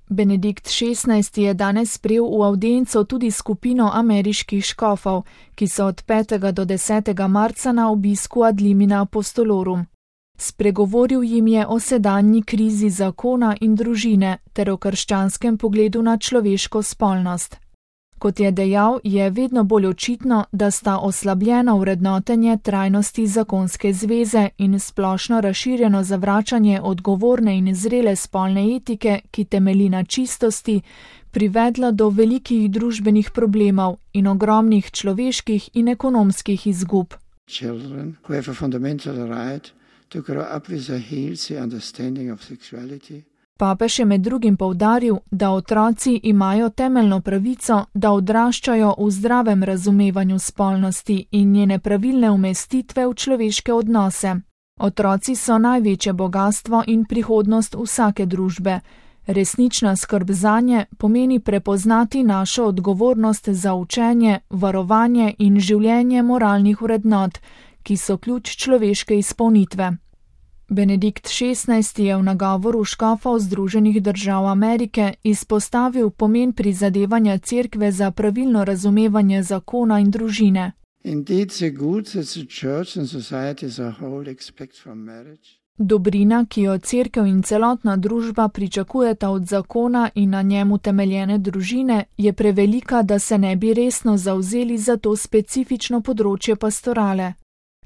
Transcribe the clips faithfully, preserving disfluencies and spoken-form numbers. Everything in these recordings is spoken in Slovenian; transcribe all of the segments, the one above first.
Benedikt šestnajsti je danes sprejel v avdienco tudi skupino ameriških škofov, ki so od petega do desetega marca na obisku ad limina apostolorum. Spregovoril jim je o sedanji krizi zakona in družine ter o krščanskem pogledu na človeško spolnost. Kot je dejal, je vedno bolj očitno, da sta oslabljena vrednotenje trajnosti zakonske zveze in splošno razširjeno zavračanje odgovorne in zrele spolne etike, ki temelji na čistosti, privedla do velikih družbenih problemov in ogromnih človeških in ekonomskih izgub. Children who have a fundamental right to grow up with a healthy understanding of sexuality. Papež je med drugim poudaril, da otroci imajo temeljno pravico, da odraščajo v zdravem razumevanju spolnosti in njene pravilne umestitve v človeške odnose. Otroci so največje bogastvo in prihodnost vsake družbe. Resnična skrb zanje pomeni prepoznati našo odgovornost za učenje, varovanje in življenje moralnih vrednot, ki so ključ človeške izpolnitve. Benedikt šestnajsti je v nagovoru škofov Združenih držav Amerike izpostavil pomen prizadevanja cerkve za pravilno razumevanje zakona in družine. Indeed, the good that the church and society as a whole expect from marriage. Dobrina, ki jo cerkev in celotna družba pričakujeta od zakona in na njemu temeljene družine, je prevelika, da se ne bi resno zavzeli za to specifično področje pastorale.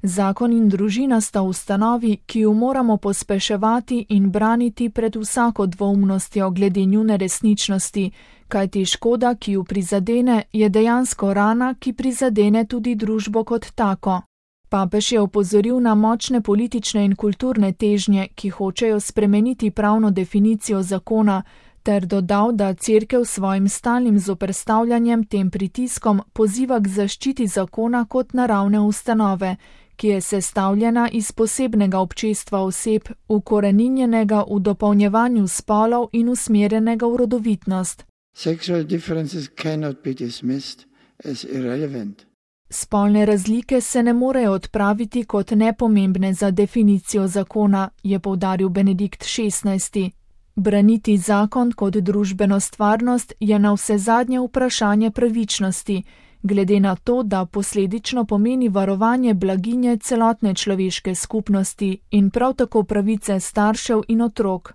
Zakon in družina sta ustanovi, ki jo moramo pospeševati in braniti pred vsako dvoumnostjo glede njune resničnosti, kajti škoda, ki jo prizadene, je dejansko rana, ki prizadene tudi družbo kot tako. Papež je opozoril na močne politične in kulturne težnje, ki hočejo spremeniti pravno definicijo zakona, ter dodal, da cerkev svojim stalnim zoperstavljanjem tem pritiskom poziva k zaščiti zakona kot naravne ustanove, ki je sestavljena iz posebnega občestva oseb, ukoreninjenega v dopolnjevanju spolov in usmerjenega v rodovitnost. Sexual differences cannot be dismissed as irrelevant. Spolne razlike se ne morejo odpraviti kot nepomembne za definicijo zakona, je poudaril Benedikt šestnajsti. Braniti zakon kot družbeno stvarnost je navsezadnje vprašanje pravičnosti, glede na to, da posledično pomeni varovanje blaginje celotne človeške skupnosti in prav tako pravice staršev in otrok.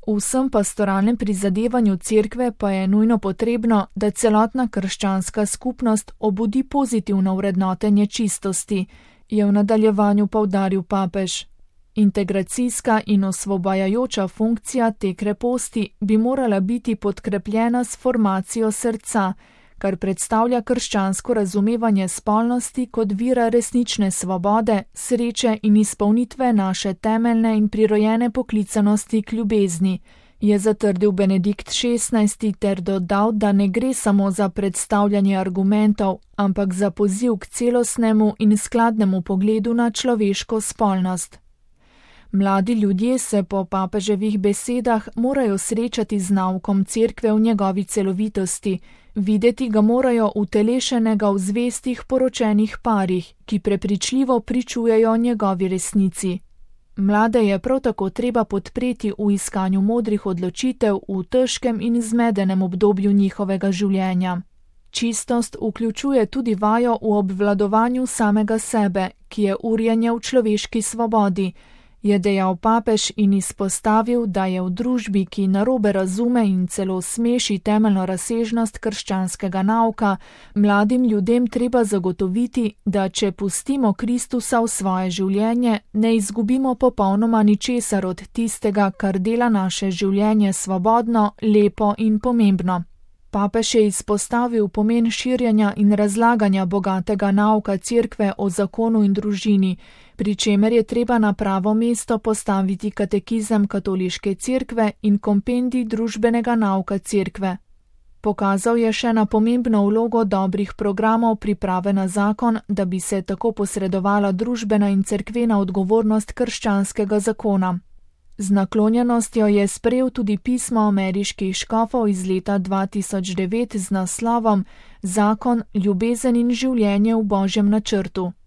V vsem pastoralnem prizadevanju cerkve pa je nujno potrebno, da celotna krščanska skupnost obudi pozitivno vrednotenje čistosti, je v nadaljevanju poudaril papež. Integracijska in osvobajajoča funkcija te kreposti bi morala biti podkrepljena s formacijo srca, kar predstavlja krščansko razumevanje spolnosti kot vira resnične svobode, sreče in izpolnitve naše temeljne in prirojene poklicanosti k ljubezni, je zatrdil Benedikt šestnajsti ter dodal, da ne gre samo za predstavljanje argumentov, ampak za poziv k celostnemu in skladnemu pogledu na človeško spolnost. Mladi ljudje se po papeževih besedah morajo srečati z naukom cerkve v njegovi celovitosti, videti ga morajo utelešenega v zvestih poročenih parih, ki prepričljivo pričujejo njegovi resnici. Mlade je prav tako treba podpreti v iskanju modrih odločitev v težkem in zmedenem obdobju njihovega življenja. Čistost vključuje tudi vajo v obvladovanju samega sebe, ki je urjenje v človeški svobodi, je dejal papež in izpostavil, da je v družbi, ki narobe razume in celo smeši temeljno razsežnost krščanskega nauka, mladim ljudem treba zagotoviti, da če pustimo Kristusa v svoje življenje, ne izgubimo popolnoma ničesar od tistega, kar dela naše življenje svobodno, lepo in pomembno. Papež je izpostavil pomen širjenja in razlaganja bogatega nauka cerkve o zakonu in družini, pri čemer je treba na pravo mesto postaviti katekizem katoliške cerkve in kompendij družbenega nauka cerkve. Pokazal je še na pomembno vlogo dobrih programov priprave na zakon, da bi se tako posredovala družbena in cerkvena odgovornost krščanskega zakona. Z naklonjenostjo je sprejel tudi pismo ameriških škofov iz leta dva tisoč devet z naslovom Zakon, ljubezen in življenje v Božjem načrtu.